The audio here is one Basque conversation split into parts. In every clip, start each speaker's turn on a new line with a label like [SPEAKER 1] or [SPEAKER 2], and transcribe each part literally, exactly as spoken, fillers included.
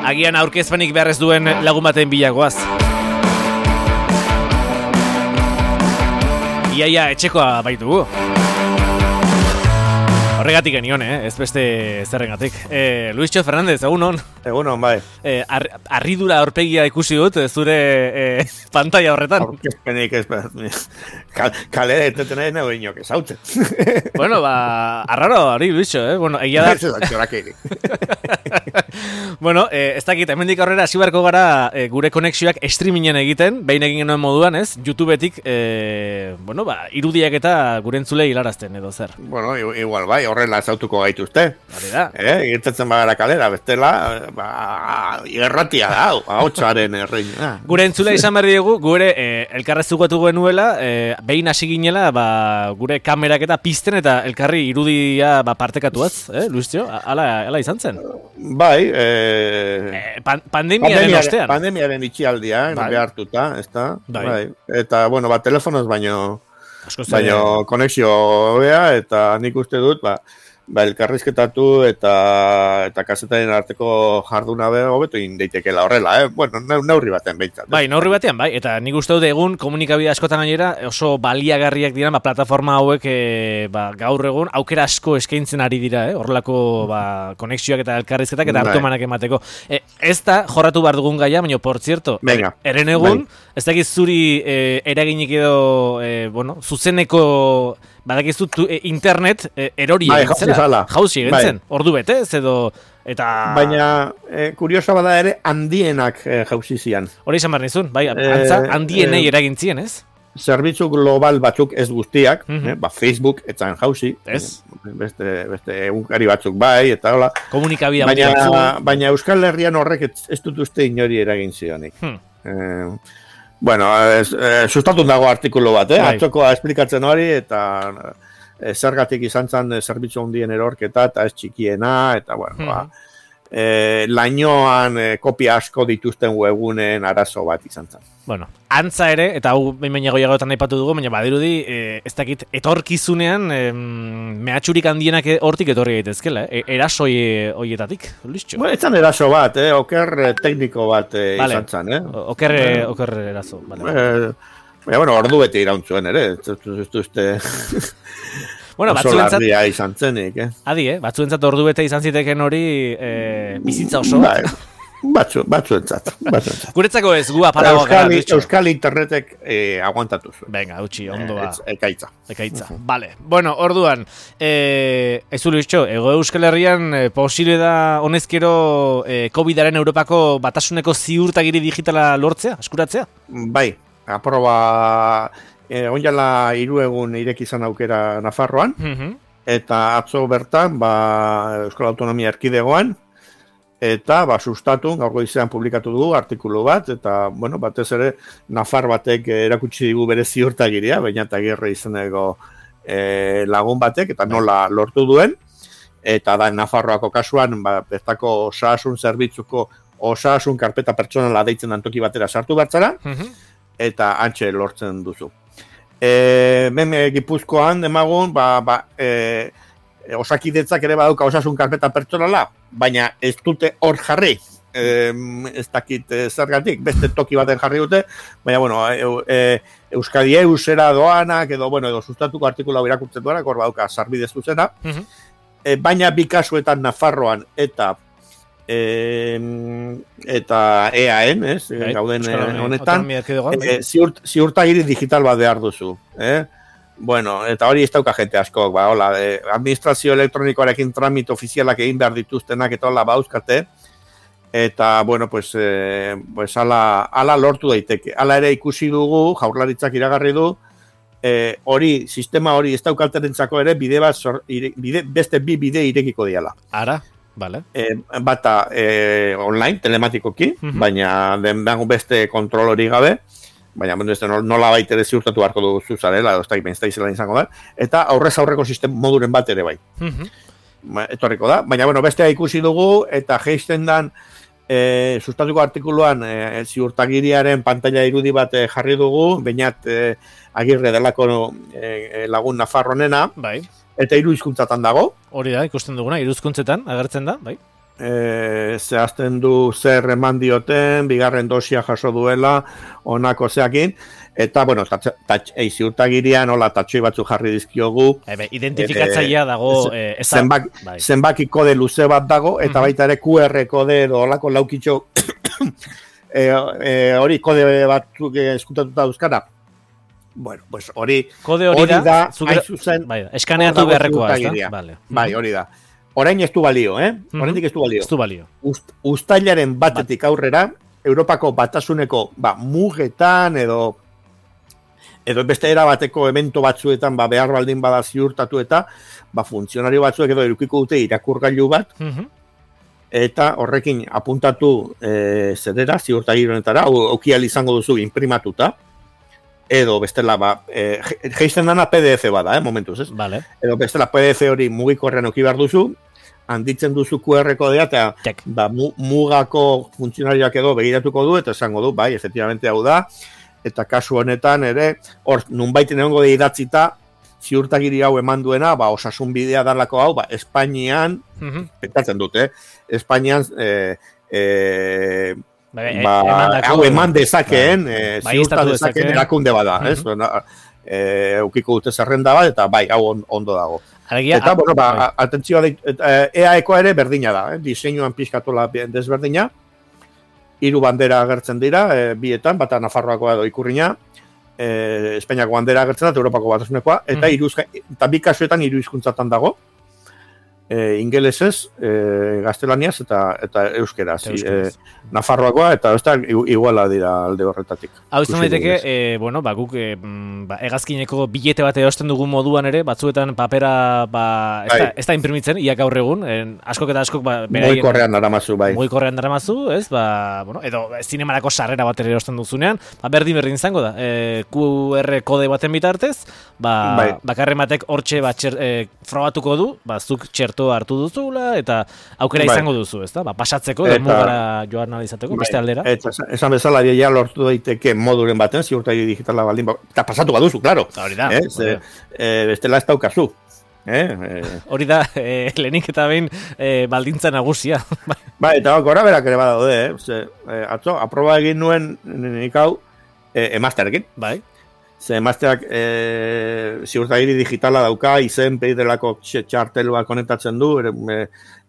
[SPEAKER 1] Agian aurkezpenik behar ez duen lagun baten bilagoaz. Iaia etxekoa baitugu. Horregatik genion, eh? Ez beste zerrengatik. Eh, Luisxo Fernandez, egun hon?
[SPEAKER 2] Egun hon, bai.
[SPEAKER 1] Eh, ar, arridura aurpegia ikusi dut, zure eh, pantalla horretan.
[SPEAKER 2] Aurkezpenik ez, kal, kalera eteten nahi nago inok ez hautzen.
[SPEAKER 1] Bueno, ba, arraro hori, Luisxo, eh? Bueno, egia da...
[SPEAKER 2] Ez da, txorakeirik.
[SPEAKER 1] Bueno, eh, ez dakit, hemendik aurrera hasi beharko gara eh, gure konexioak streamingen egiten, behin egin genuen moduan, ez? YouTubetik, eh, bueno, ba, irudiak eta gure entzulei hilarazten edo zer.
[SPEAKER 2] Bueno, igual bai, horrela ezautuko gaituzte.
[SPEAKER 1] Hori da.
[SPEAKER 2] Eh, irtetzen bagara kalera, bestela, ba, irratia da, ahotsaren erreina.
[SPEAKER 1] Gure entzulei izan behar diegu, gure eh, elkarrezugatu genuela, eh, behin hasi ginela, ba, gure kamerak eta pizten eta elkarri irudia ba, partekatuaz, eh, Luisio? Hala, hala izan zen?
[SPEAKER 2] Bai, eh,
[SPEAKER 1] Eh, pan, pandemiaren ostean.
[SPEAKER 2] Pandemiaren itxialdia, bai. Behartuta, ez da?
[SPEAKER 1] Bai.
[SPEAKER 2] Bai. Eta, bueno, ba, telefonoz baino, baino
[SPEAKER 1] de...
[SPEAKER 2] konexio hobea, eta nik uste dut, ba, ba elkarrizketatu eta eta kazetaren arteko jarduna be hobeto egin daitekeela horrela, eh? Bueno, neurri batean behintzat.
[SPEAKER 1] Bai, neurri batean, bai, eta nik uste dut egun komunikabide askotan gainera oso baliagarriak dira, ba, plataforma hauek e, ba, gaur egun aukera asko eskaintzen ari dira, eh? Horrelako ba, konexioak eta elkarrizketak eta hartumanak emateko. E, ez da jorratu behar dugun gaia, baina, por cierto,
[SPEAKER 2] Venga.
[SPEAKER 1] eren egun,
[SPEAKER 2] bai.
[SPEAKER 1] Ez dakiz zuri e, eraginik edo, e, bueno, zuzeneko... Badakizu e, internet e, erori
[SPEAKER 2] bai,
[SPEAKER 1] egin zela, jauzi egin zen,
[SPEAKER 2] bai.
[SPEAKER 1] ordu bete, ez edo, eta...
[SPEAKER 2] Baina, e, kuriosa bada ere, handienak e, jauzi zian.
[SPEAKER 1] Hori izan behar nizun, bai, antza, handienei e, eragin zien, ez?
[SPEAKER 2] Zerbitzu global batzuk ez guztiak,
[SPEAKER 1] mm-hmm.
[SPEAKER 2] eh, ba, Facebook, etzan jauzi,
[SPEAKER 1] ez?
[SPEAKER 2] Beste, beste egunkari batzuk bai, eta hola.
[SPEAKER 1] Komunikabida
[SPEAKER 2] baina,
[SPEAKER 1] batzuk.
[SPEAKER 2] Baina Euskal Herrian horrek ez, ez dut uste inori eragin zionik.
[SPEAKER 1] Hmm.
[SPEAKER 2] Eh, Bueno, ez, e, sustatun dago artikulu bat, eh? Bai. Atzokoa esplikatzen hori, eta e, zergatik izan zen zerbitzu handien erorketa, eta ez txikiena, eta bueno, mm-hmm. ba, e, lainoan e, kopia asko dituzten webunen arazo bat izan zen.
[SPEAKER 1] Bueno, antza ere, eta hau behin-behin goiagoetan naipatu dugu, baina badirudi, e, ez dakit, etorkizunean, e, mehatxurik handienak hortik etorri gaitezkela, e, erasoi horietatik, Luisxo?
[SPEAKER 2] Bueno, etzan eraso bat, eh? Oker tekniko bat e, vale. Izan zen, eh?
[SPEAKER 1] Oker, eh, oker eraso, bale.
[SPEAKER 2] Eh, baina, bueno, ordu bete irauntzuen ere, ez duzte...
[SPEAKER 1] Bueno, batzuentzat
[SPEAKER 2] izan zenik, eh?
[SPEAKER 1] Adi, eh? Batzuentzat ordu bete izan ziteken hori eh, bizitza oso.
[SPEAKER 2] Bai. Batzu, batzuentzat, batzuentzat.
[SPEAKER 1] Guretzako ez, gu apalagoak gara.
[SPEAKER 2] Euskal, Euskal internetek eh, aguantatu zuen.
[SPEAKER 1] Venga, utxi, ondoa.
[SPEAKER 2] E, ekaitza.
[SPEAKER 1] Ekaitza, uh-huh. Vale. Bueno, orduan, eh, ez ulu iztxo, ego Euskal Herrian eh, posible da honezkero eh, COVIDaren Europako batasuneko ziurtagiri digitala lortzea, eskuratzea?
[SPEAKER 2] Bai, aproba, eh, onjala hiru egun ireki izan aukera Nafarroan, uh-huh. Eta atzo bertan, ba, Euskal Autonomia Erkidegoan, eta ba, sustatu, gaur goizean publikatu dugu artikulu bat, eta bueno, batez ere Nafar batek erakutsi digu bere ziurtagiria, baina eta Agirre izeneko e, lagun batek, eta nola lortu duen, eta da Nafarroako kasuan, ba, bertako osasun zerbitzuko osasun karpeta pertsonala deitzen antoki batera sartu bertzara, uh-huh. Eta antxe lortzen duzu. E, Meme Gipuzkoan demagun, ba, ba, e, osakidetzak ere badauka osasun karpeta pertsonala, baina ez dute hor jarri, e, ez dakit zergatik, beste toki baten jarri dute, baina, bueno, e, e, Euskadi Eusera doanak, edo, bueno, edo sustatuko artikula irakurtzen duanak, hor badauka sarbidez zuzena, uh-huh. e, baina bi kasuetan Nafarroan eta e, eta E A N, ez, right. Gauden honetan, e, ziurt, ziurtagiri digital bat behar duzu, eh? Bueno, eta hori ez dauka jente askok, ba, hola, eh, administrazio elektronikoarekin tramit ofizialak egin behar dituztenak eta hola bauzkate, eta, bueno, pues, eh, pues ala, ala lortu daiteke. Ala ere ikusi dugu, Jaurlaritzak iragarri du, eh, hori, sistema hori ez daukalterentzako ere, bide bat, sor, ire, bide, beste bi bide irekiko diala.
[SPEAKER 1] Ara, bale.
[SPEAKER 2] Eh, bata eh, online, telematikoki, uh-huh. Baina den beste kontrol hori gabe, baina nola baita ere ziurtatu beharko duzu zarela, edo ez da izela izango da, eta aurrez aurreko sistem moduren bat ere bai. Uh-huh. Etorriko da, baina bueno, bestea ikusi dugu, eta geisten dan, e, sustatuko artikuluan e, ziurtagiriaren pantalla irudi bat e, jarri dugu, bainat e, Agirre delako e, lagun Nafarronena,
[SPEAKER 1] bai.
[SPEAKER 2] Eta hiru hizkuntzatan dago.
[SPEAKER 1] Hori da, ikusten duguna, hiru hizkuntzetan agertzen da, bai.
[SPEAKER 2] e, zehazten du zer eman dioten, bigarren dosia jaso duela, onako zeakin, eta, bueno, ei, ziurtagirian, hola, tatxoi batzu jarri dizkiogu.
[SPEAKER 1] Ebe, identifikatzailea dago... E, eza,
[SPEAKER 2] zenbak, bai. Zenbaki kode luze bat dago, eta mm-hmm. baita ere Q R kode edo holako laukitxo e, e, hori kode batzuk eskutatuta duzkara. Bueno, pues hori...
[SPEAKER 1] Kode hori, hori da, da
[SPEAKER 2] zuger, zuzen,
[SPEAKER 1] bai, eskaneatu beharrekoa, ez da? Vale.
[SPEAKER 2] Bai, hori da. Orain ez du balio, eh? Oraindik ez du balio.
[SPEAKER 1] Ez du balio.
[SPEAKER 2] Ust, ustailaren batetik aurrera, Europako batasuneko ba, mugetan edo edo beste era bateko evento batzuetan ba, behar baldin bada ziurtatu eta ba, funtzionario batzuek edo edukiko dute irakurgailu bat uh-huh. eta horrekin apuntatu e, zedera, ziurtagironetara, aukial izango duzu imprimatuta edo bestela ba, e, geizten dana P D F bada, eh, momentuz, ez?
[SPEAKER 1] Vale.
[SPEAKER 2] Edo bestela P D F hori mugikorrean auki behar duzu, handitzen duzu Q R kodea eta ba, mugako funtzionarioak edo begiratuko du eta esango du, bai, efectivamente hau da, eta kasu honetan ere, hor, nunbait egongo de idatzita, ziurtagiri hau eman duena, ba, osasun bidea dalako hau, ba, Espainian, uh-huh. pentatzen dute, eh? Espainian, eh, eh, ba, ba, hau eman dezakeen, ba, eh, ba, ziurta dezakeen erakunde bada, uh-huh. ez? Eh, eukiko dute zerrenda bat, eta bai, hau ondo dago.
[SPEAKER 1] Alegia,
[SPEAKER 2] eta, bueno, ba, bai. atentzioa, E A Ekoa ere berdina da, eh? Diseinuan pizkatola desberdina, hiru bandera agertzen dira, e, bietan, bata Nafarroakoa edo Ikurrina, e, Espainiako bandera agertzen da, Europako batasunekoa, eta, mm. iruz, eta bi kasuetan hiru hizkuntzatan dago, e, ingelesez, e, gaztelaniaz eta eta euskeraz. E, Nafarroakoa eta ez da iguala dira alde horretatik.
[SPEAKER 1] Hau izan daiteke, e, bueno, ba, guk e, ba, hegazkineko bilete bat erosten dugun moduan ere, batzuetan papera ba, ez, da, ez da imprimitzen, ia gaur egun, en, askok eta askok... Ba,
[SPEAKER 2] mugikorrean daramazu, bai.
[SPEAKER 1] Mugikorrean daramazu, ez? Ba, bueno, edo zinemarako sarrera bat ere erosten duzunean, ba, berdin berdin izango da. E, Q R kode baten bitartez, ba, bai. Bakarren batek hortxe ba, txer, e, frogatuko du, ba, zuk txerto hartu duzula, eta aukera bai. Izango duzu, ez da? Ba, pasatzeko, eta, mugara joan izateko, bai, beste aldera.
[SPEAKER 2] Eta esan bezala, ja lortu daiteke moduren baten, ziurtagi digitala baldin, eta pasatu baduzu, klaro.
[SPEAKER 1] Hori da.
[SPEAKER 2] Eh? Ze, eh, bestela ez daukazu. Eh?
[SPEAKER 1] Hori da, eh, lehenik eta behin eh, baldintza nagusia.
[SPEAKER 2] Ba, eta gora berak ere badaude, eh? Ze, eh, atzo, aproba egin nuen nik hau eh, emazterekin.
[SPEAKER 1] Bai.
[SPEAKER 2] Ze emazteak eh, ziurtagiri digitala dauka, izen peidelako txartelua konektatzen du, eh,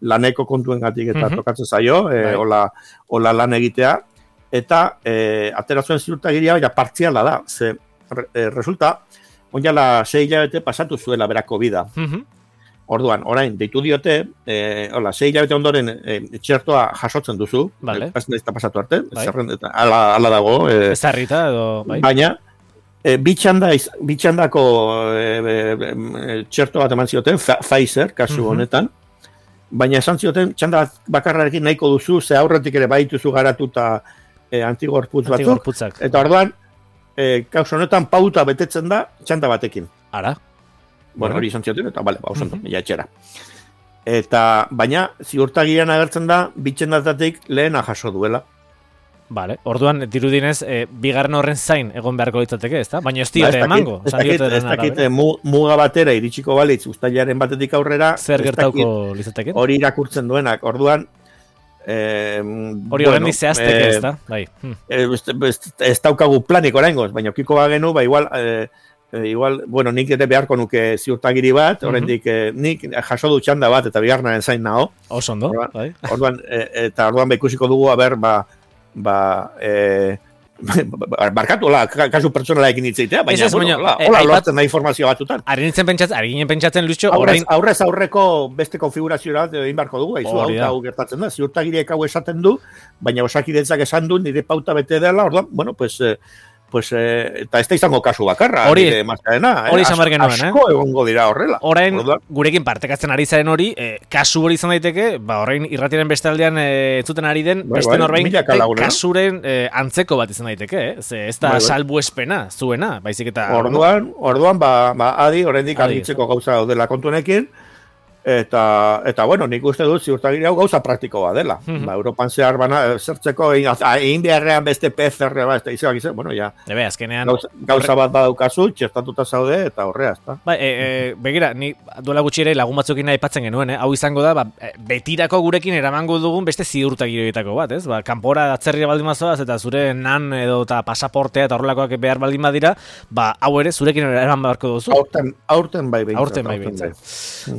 [SPEAKER 2] laneko kontuen gatik eta uh-huh. tokatzen zaio, eh, bai. ola, ola lan egitea, eta eh, aterazuen ziurtagiria ja partziala da, ze eh, resulta, onjala sei hilabete pasatu zuela berako bida. Uh-huh. Orduan, orain, deitu diote, eh, hola, sei hilabete ondoren eh, txertoa jasotzen duzu,
[SPEAKER 1] vale.
[SPEAKER 2] Ez da pasatu arte, bai. Zerrendeta, ala, ala dago. Eh,
[SPEAKER 1] Ez harrita edo, bai.
[SPEAKER 2] Baina, E, bitxanda, bitxandako e, e, txerto bat eman zioten, Pfizer, kasu uh-huh. honetan, baina esan zioten, txanda bakarrarekin nahiko duzu, ze aurretik ere baituzu garatuta e, antigorputz batzuk, eta orduan, e, kasu honetan pauta betetzen da, txanda batekin.
[SPEAKER 1] Ara?
[SPEAKER 2] Bueno, hori esan zioten, eta bale, ba, osan, uh-huh. ja etxera. Eta, baina, ziurtagian agertzen da, bitxandatatik lehena jaso duela.
[SPEAKER 1] Vale, orduan dirudinez, e, bigarren horren zain egon beharko litzateke, ezta? Baina ez diote emango.
[SPEAKER 2] Ez dakit, ez dakit, muga batera iritsiko balitz, ustailaren batetik aurrera,
[SPEAKER 1] zer gertauko litzateke?
[SPEAKER 2] Hori irakurtzen duenak, orduan...
[SPEAKER 1] Eh, hori horren dizehazteke, eh, ezta? Bai. Hmm.
[SPEAKER 2] Ez, ez daukagu planik oraingoz, baina okiko bagenu, ba igual... Eh, igual, bueno, nik ere beharko nuke ziurtagiri bat, uh-huh. oraindik eh, nik jaso du txanda bat eta bigarrenaren zain nago.
[SPEAKER 1] Oso ondo,
[SPEAKER 2] orduan,
[SPEAKER 1] bai.
[SPEAKER 2] Orduan, e, eta orduan ba ikusiko dugu, aber, ba, ba, e, barkatu, hola, kasu pertsonalaekin hitzeitea, baina,
[SPEAKER 1] es,
[SPEAKER 2] bueno, hola,
[SPEAKER 1] eh,
[SPEAKER 2] hola lortzen da informazioa batzutan.
[SPEAKER 1] Ari nintzen pentsatzen, ari ginen pentsatzen, Lucho,
[SPEAKER 2] aurrez,
[SPEAKER 1] orain...
[SPEAKER 2] aurrez aurreko beste konfigurazioa egin barko dugu, haizu, hau, hau gertatzen da, ziurtagiriek hau esaten du, baina osakidetzak esan du, nire pauta bete dela, orduan, bueno, pues... Eh, pues, eh, eta ez da izango kasu bakarra,
[SPEAKER 1] hori,
[SPEAKER 2] nire mazkaena,
[SPEAKER 1] hori izan behar genuen,
[SPEAKER 2] asko eh? egongo dira horrela.
[SPEAKER 1] Orain, gurekin partekatzen ari zaren hori, eh, kasu hori izan daiteke, ba, orain irratiren beste aldean eh, entzuten ari den, bai, beste bai, norbain, eh, kasuren eh, antzeko bat izan daiteke, eh? Ze, ez da bai, bai. salbuespena, zuena, baizik eta...
[SPEAKER 2] Orduan, orduan, ba, ba adi, oraindik argitzeko gauza daudela kontuenekin, Eta, eta bueno, nik uste dut ziurtagiri hau gauza praktiko bat dela. Mm -hmm. Ba, Europan zehar bana, zertzeko, egin beharrean beste P C R bat, ez da, izan, bueno, ja.
[SPEAKER 1] Ebe, azkenean...
[SPEAKER 2] Gauza, gauza bat badaukazu, txertatuta zaude, eta horrea, ez da.
[SPEAKER 1] Ba, e, e, begira, ni duela gutxi ere lagun batzukin aipatzen genuen, eh? Hau izango da, ba, betirako gurekin eramango dugun beste ziurtagiroetako bat, ez? Ba, kanpora atzerria baldin bazoaz, eta zure nan edo eta pasaportea eta horrelakoak behar baldin badira, ba, hau ere, zurekin eraman beharko duzu.
[SPEAKER 2] Aurten, aurten bai behintzat.
[SPEAKER 1] Aurten bai behintzat.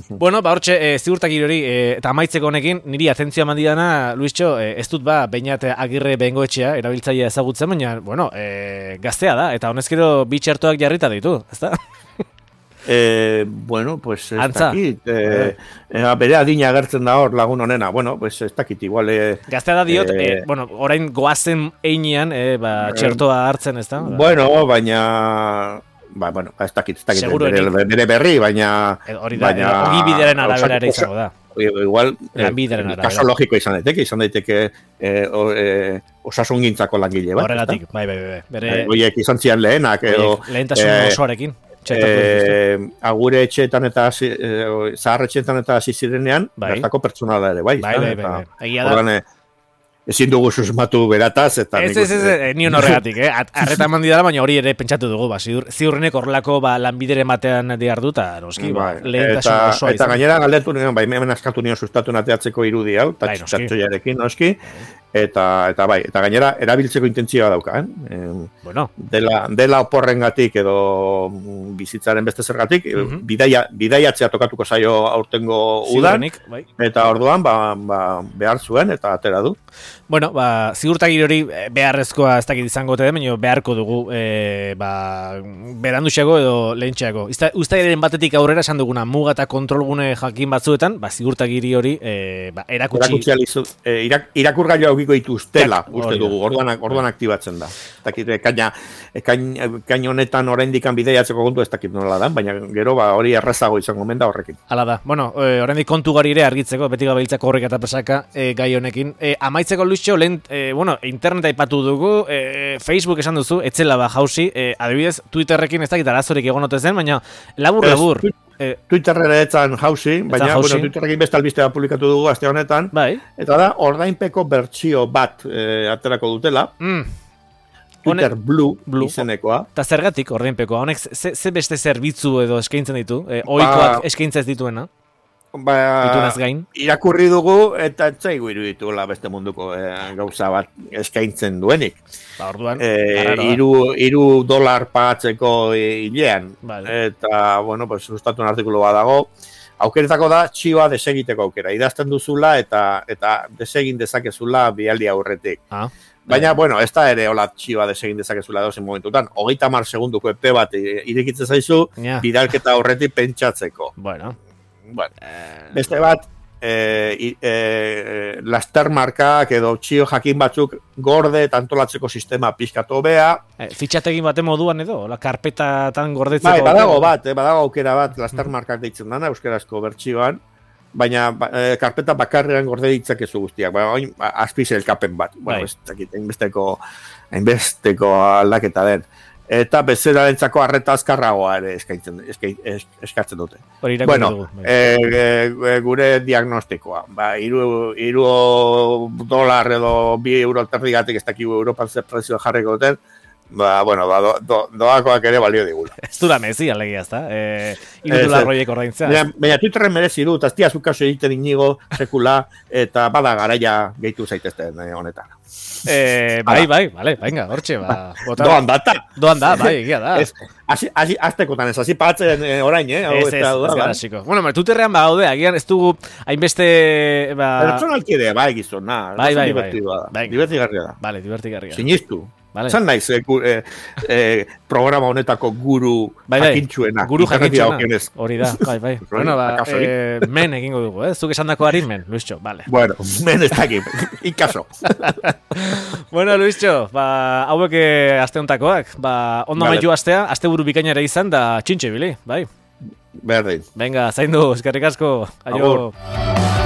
[SPEAKER 1] Bueno, ba, hortxe, e, ziurtagirori, e, eta amaitzeko honekin, niri atentzioa eman didana, Luischo, e, ez dut ba, Beñat Agirre Bengoetxea, erabiltzailea ezagutzen, baina, bueno, e, gaztea da, eta honezkero bi txertoak jarrita ditu, ezta?
[SPEAKER 2] Eh, bueno, pues ez dakit, eh, eh, bere adina agertzen da hor lagun honena, bueno, pues ez dakit, igual... Eh,
[SPEAKER 1] gaztea da diot, eh, eh, bueno, orain goazen einean, eh, ba, txertoa hartzen, ezta?
[SPEAKER 2] Bueno, baina... Ba, bueno, ez dakit, ez dakit, bere, bere berri, baina...
[SPEAKER 1] Hori da, baina, ogi bideren arabera ere izango da.
[SPEAKER 2] Igual, eh, kaso logiko izan daiteke, izan daiteke eh, o, eh, osasun gintzako langile bat.
[SPEAKER 1] Horregatik, bai, bai, bai.
[SPEAKER 2] Bere... Oiek izan zian lehenak, edo...
[SPEAKER 1] Lehentasun eh, osoarekin.
[SPEAKER 2] Eh, agure etxeetan eta eh, zahar etxeetan eta hasi zirenean, bai. Bertako pertsonala ere, bai.
[SPEAKER 1] Bai, bai, bai. Egia da.
[SPEAKER 2] Ezin dugu susmatu berataz, eta...
[SPEAKER 1] Ez, ez, ez, ni horregatik, eh? Arreta eman didala, baina hori ere pentsatu dugu, ba, ziur, ziurrenek horrelako ba, lanbidere batean diar du, eta noski, ba, lehentasun osoa izan.
[SPEAKER 2] Eta gainera galdetu nion, bai, hemen askatu nion sustatu nateatzeko irudi hau, eta txatxoiarekin, noski, eta, eta bai, eta gainera erabiltzeko intentzioa dauka, eh?
[SPEAKER 1] Bueno.
[SPEAKER 2] Dela, dela oporrengatik edo bizitzaren beste zergatik, mm -hmm. bidaia, bidaiatzea tokatuko zaio aurtengo udan, bai. Eta orduan, ba, ba, behar zuen, eta atera du.
[SPEAKER 1] Bueno, ba, ziurtagiri hori beharrezkoa ez dakit izango te, baina beharko dugu e, ba, beranduxeago edo lehentxeago. Uztailaren batetik aurrera esan duguna muga eta kontrolgune jakin batzuetan, ba, ziurtagiri hori e, ba, erakutsi...
[SPEAKER 2] Erakutsi alizu, e, irak, irakurgailu aukiko dituztela, uste dugu, orduan, orduan aktibatzen da. Ez dakit, ekaina, ekain honetan oraindikan bideiatzeko kontu ez dakit nola da, baina gero ba, hori errazago izango menda horrekin.
[SPEAKER 1] Hala da, bueno, e, oraindik kontu gari ere argitzeko, beti gabiltzako horrek eta presaka e, gai honekin. E, amaitzeko Luischo, lehen, e, bueno, interneta aipatu dugu, e, Facebook esan duzu, etzela ba jauzi, e, adibidez, Twitterrekin ez dakit arazorik egonote zen, baina labur, labur.
[SPEAKER 2] Eh, Twitterrera etzan jauzi, baina bueno, Twitterrekin beste albistea publikatu dugu aste honetan,
[SPEAKER 1] bai.
[SPEAKER 2] Eta da, ordainpeko bertsio bat e, aterako dutela, mm. Twitter Hone, Blue, Blue izenekoa.
[SPEAKER 1] Eta zergatik ordainpekoa, honek ze, ze beste zerbitzu edo eskaintzen ditu, e, ohikoak ba, eskaintzen ez dituena?
[SPEAKER 2] Ba, irakurri dugu eta etzaigu irudituela beste munduko e, gauza bat eskaintzen duenik.
[SPEAKER 1] Ba, orduan,
[SPEAKER 2] e, iru, iru dolar pagatzeko hilean. Vale. Eta, bueno, pues, sustatu un artikulu bat dago. Aukeretako da, txioa desegiteko aukera. Idazten duzula eta eta desegin dezakezula bialdi aurretik. Ah. Baina, bueno, ez da ere hola txioa desegin dezakezula dozen momentutan. Hogeita mar segunduko epe bat irekitzen zaizu, yeah. Bidalketa aurretik pentsatzeko.
[SPEAKER 1] Bueno.
[SPEAKER 2] Bueno, beste bat, e, e, laster markak edo txio jakin batzuk gorde eta antolatzeko sistema pixkatu bea.
[SPEAKER 1] E, fitxategin baten moduan edo, la karpetatan gordetzeko.
[SPEAKER 2] Bai, badago bat, eh, badago aukera bat, laster markak deitzen dana, euskarazko bertsioan, baina e, karpeta bakarrean gorde ditzakezu guztiak, baina oin azpizelkapen bat. Bueno, ez dakit, hainbesteko, hainbesteko aldaketa den. Eta bezerarentzako arreta azkarragoa ere eskaintzen, eskatzen dute. Bueno, e, e, gure diagnostikoa. Ba, iru, iru dolar edo bi euro terdigatik ez dakigu Europan zer prezioa jarriko duten, ba, bueno, ba, do, do, doakoak ere balio digula.
[SPEAKER 1] Ez du da mezi, alegia, ez da? E, iru dolar roiek ordaintzea.
[SPEAKER 2] Baina Twitterren merezi du, eta ez diazu kaso egiten inigo, sekula, eta bada garaia gehitu zaitezten honetan.
[SPEAKER 1] Eh, bai, bai, vale, venga, hortxe, ba.
[SPEAKER 2] Doan data.
[SPEAKER 1] Doan da, bai, egia da.
[SPEAKER 2] Asi, asi, aztekotan ez, hasi patzen eh, orain, eh?
[SPEAKER 1] Ez, ez, ez gara xiko. Bueno, Twitterrean ba, haude, agian ez dugu hainbeste, ba...
[SPEAKER 2] Personalki ere, bai, gizon, na.
[SPEAKER 1] Bai, bai, bai. bai.
[SPEAKER 2] Divertigarria da.
[SPEAKER 1] Vale, divertigarria.
[SPEAKER 2] Sinistu.
[SPEAKER 1] Vale.
[SPEAKER 2] Zan naiz, eh, eh, eh, programa honetako guru bai, bai. jakintxuena.
[SPEAKER 1] Guru jakintxuena. Hori da, bai, bai. Bueno, ba, eh, men egingo dugu, eh? Zuk esan dako harin men, Luischo, vale.
[SPEAKER 2] Bueno, men ez dakit, ikaso.
[SPEAKER 1] Bueno, Luischo, ba, hauek aste hontakoak, ba, ondo vale. Maitu astea, aste buru bikainara izan, da txintxe bili, bai.
[SPEAKER 2] Berdin.
[SPEAKER 1] Venga, zaindu, eskerrik asko. Aio.
[SPEAKER 2] Agur.